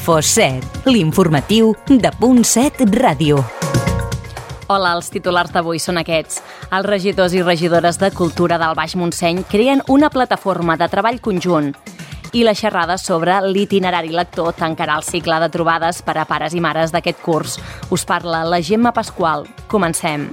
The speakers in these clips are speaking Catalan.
Info7, l'informatiu de Punt 7 Ràdio. Hola, els titulars d'avui són aquests. Els regidors i regidores de Cultura del Baix Montseny creen una plataforma de treball conjunt i la xerrada sobre l'itinerari lector tancarà el cicle de trobades per a pares i mares d'aquest curs. Us parla la Gemma Pasqual. Comencem.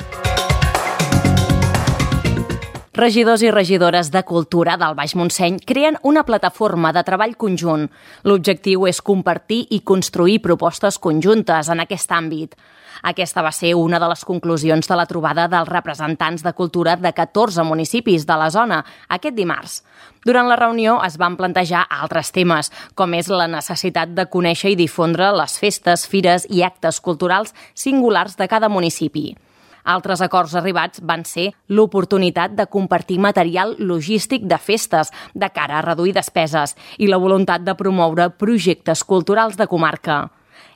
Regidors i regidores de Cultura del Baix Montseny creen una plataforma de treball conjunt. L'objectiu és compartir i construir propostes conjuntes en aquest àmbit. Aquesta va ser una de les conclusions de la trobada dels representants de cultura de 14 municipis de la zona aquest dimarts. Durant la reunió es van plantejar altres temes, com és la necessitat de conèixer i difondre les festes, fires i actes culturals singulars de cada municipi. Altres acords arribats van ser l'oportunitat de compartir material logístic de festes de cara a reduir despeses i la voluntat de promoure projectes culturals de comarca.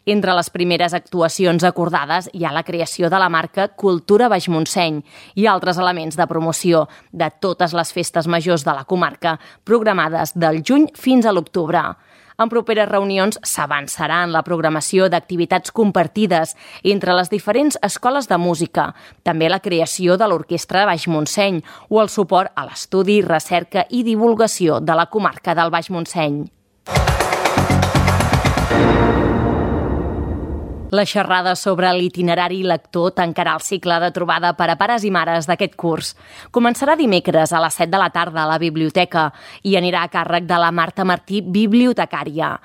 Entre les primeres actuacions acordades hi ha la creació de la marca Cultura Baix Montseny i altres elements de promoció de totes les festes majors de la comarca programades del juny fins a l'octubre. En properes reunions s'avançarà en la programació d'activitats compartides entre les diferents escoles de música, també la creació de l'Orquestra Baix Montseny o el suport a l'estudi, recerca i divulgació de la comarca del Baix Montseny. La xerrada sobre l'itinerari lector tancarà el cicle de trobada per a pares i mares d'aquest curs. Començarà dimecres a les 7 de la tarda a la biblioteca i anirà a càrrec de la Marta Martí, bibliotecària.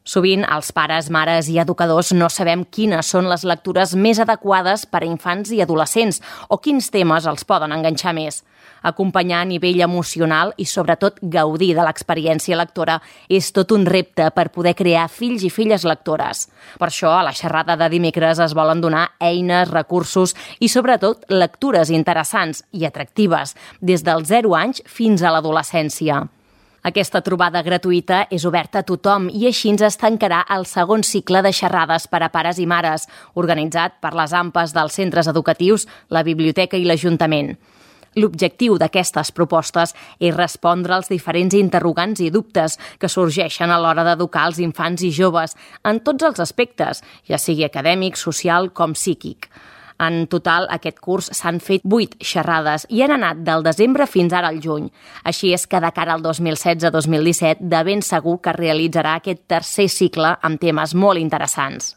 Sovint, els pares, mares i educadors no sabem quines són les lectures més adequades per a infants i adolescents o quins temes els poden enganxar més. Acompanyar a nivell emocional i, sobretot, gaudir de l'experiència lectora és tot un repte per poder crear fills i filles lectores. Per això, a la xerrada de dimecres es volen donar eines, recursos i, sobretot, lectures interessants i atractives des dels 0 anys fins a l'adolescència. Aquesta trobada gratuïta és oberta a tothom i així es tancarà el segon cicle de xerrades per a pares i mares, organitzat per les AMPAs dels centres educatius, la biblioteca i l'Ajuntament. L'objectiu d'aquestes propostes és respondre als diferents interrogants i dubtes que sorgeixen a l'hora d'educar els infants i joves en tots els aspectes, ja sigui acadèmic, social com psíquic. En total, aquest curs s'han fet 8 xerrades i han anat del desembre fins ara al juny. Així és que de cara al 2016-2017 de ben segur que realitzarà aquest tercer cicle amb temes molt interessants.